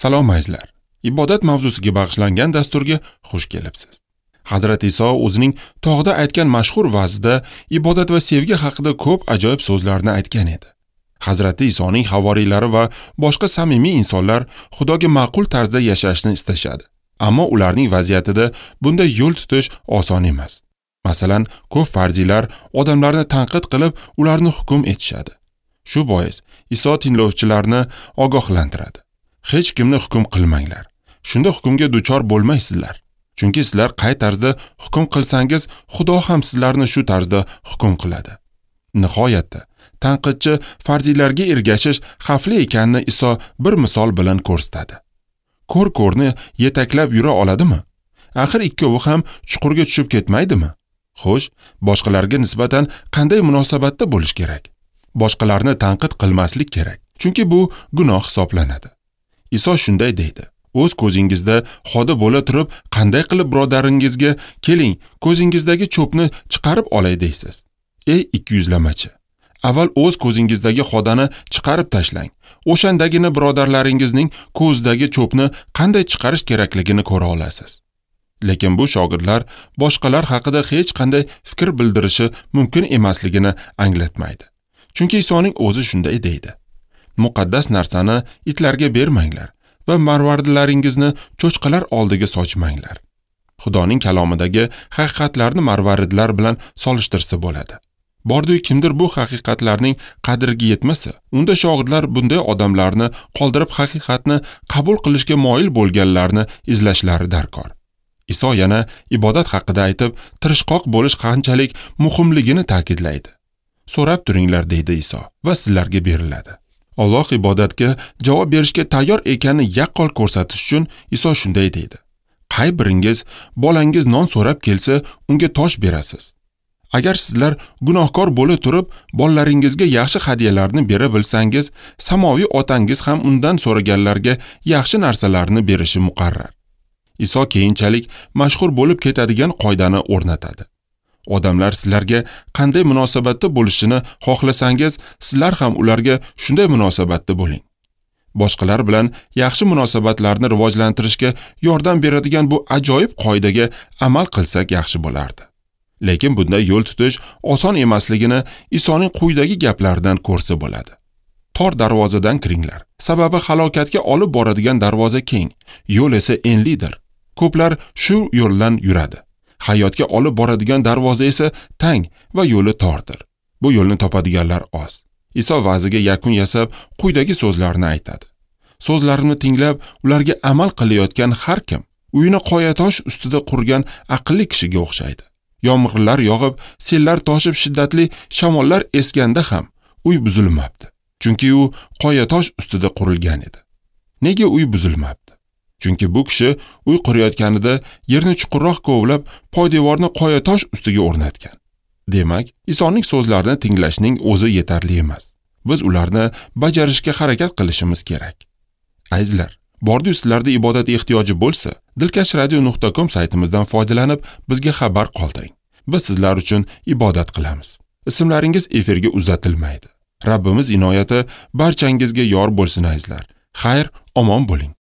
Salom azizlar. Ibodat mavzusiga bag'ishlangan dasturga xush kelibsiz. Hazrat Iso o'zining tog'da aytgan mashhur va'zida ibodat va sevgi haqida ko'p ajoyib so'zlarni aytgan edi. Hazrati Isoning havoriylari va boshqa samimiy insonlar Xudoga ma'qul tarzda yashashni istashadi. Ammo ularning vaziyatida bunday yo'l tutish oson emas. Masalan, ko'p farziylar odamlarni tanqid qilib, ularni hukm etishadi. Shu bois Iso tinglovchilarni ogohlantiradi. Hech kimni hukm qilmanglar. Shunda hukmga duchor bo'lmaysizlar. Chunki sizlar qay tarzda hukm qilsangiz, Xudo ham sizlarni shu tarzda hukm qiladi. Nihoyatda, tanqidchi farziylarga ergashish xavfli ekanini Iso bir misol bilan ko'rsatadi. Ko'r ko'rni yetaklab yura oladimi? Axir ikkovi ham chuqurga tushib ketmaydimi? Xo'sh, boshqalarga nisbatan qanday munosabatda bo'lish kerak? Boshqalarni tanqid qilmaslik kerak, chunki bu gunoh hisoblanadi. Iso shunday deydi: o'z ko'zingizda xoda bo'la turib, qanday qilib birodaringizga keling, ko'zingizdagi cho'pni chiqarib olay deysiz? Ey ikkiyuzlamachi, avval o'z ko'zingizdagi xodani chiqarib tashlang. O'shandagina birodarlaringizning ko'zidagi cho'pni qanday chiqarish kerakligini ko'ra olasiz. Lekin bu shogirdlar boshqalar haqida hech qanday fikr bildirishi mumkin emasligini anglatmaydi. Chunki Isoning o'zi shunday deydi: muqaddas narsani itlarga bermanglar va marvaridlaringizni cho'chqalar oldiga sochmanglar. Xudoning kalomidagi haqiqatlarni marvaridlar bilan solishtirsa bo'ladi. Bordi-yu kimdir bu haqiqatlarning qadriga yetmasa, unda shogirdlar bunday odamlarni qoldirib haqiqatni qabul qilishga moyil bo'lganlarni izlashlari darkor. Iso yana ibodat haqida aytib, tirishqoq bo'lish qanchalik muhimligini ta'kidlaydi. So'rab turinglar, deydi Iso, va sizlarga beriladi. Alloh ibodatga javob berishga tayyor ekanini yaqqol ko'rsatish uchun Iso shunday deydi: qay biringiz bolangiz non so'rab kelsa, unga tosh berasiz? Agar sizlar gunohkor bo'la turib, bolalaringizga yaxshi hadyalarni bera bilsangiz, samoviy otangiz ham undan so'raganlarga yaxshi narsalarni berishi muqarrar. Iso keyinchalik mashhur bo'lib ketadigan qoidani o'rnatadi. Odamlar sizlarga qanday munosabatda bo'lishini xohlasangiz, sizlar ham ularga shunday munosabatda bo'ling. Boshqalar bilan yaxshi munosabatlarni rivojlantirishga yordam beradigan bu ajoyib qoidaga amal qilsak yaxshi bo'lardi. Lekin bunday yo'l tutish oson emasligini Isoning quyidagi gaplaridan ko'rsa bo'ladi. Tor darvozadan kiringlar. Sababi halokatga olib boradigan darvoza keng, yo'l esa enlidir. Ko'plar shu yo'ldan yuradi. Hayotga olib boradigan darvoza esa tang va yo'li tordir. Bu yo'lni topadiganlar oz. Iso va'ziga yakun yasab, quyidagi so'zlarni aytadi. So'zlarimni tinglab, ularga amal qilayotgan har kim uyini qoyatosh ustida qurgan aqlli kishiga o'xshaydi. Yomg'irlar yog'ib, sellar toshib, shiddatli shamollar esganda ham uy buzilmabdi. Chunki u qoyatosh ustida qurilgan edi. Nega uy buzilmabdi? Chunki bu kishi uy qurayotganida yerni chuqurroq kovlab, poydevorni qoyatosh ustiga o'rnatgan. Demak, Isoning so'zlarini tinglashning o'zi yetarli emas. Biz ularni bajarishga harakat qilishimiz kerak. Azizlar, bordi-yu sizlarda ibodat ehtiyoji bo'lsa, dilkashradio.com saytimizdan foydalanib, bizga xabar qoldiring. Biz sizlar uchun ibodat qilamiz. Ismlaringiz efirga uzatilmaydi. Rabbimiz inoyati barchangizga yor bo'lsin azizlar. Xayr, omon bo'ling.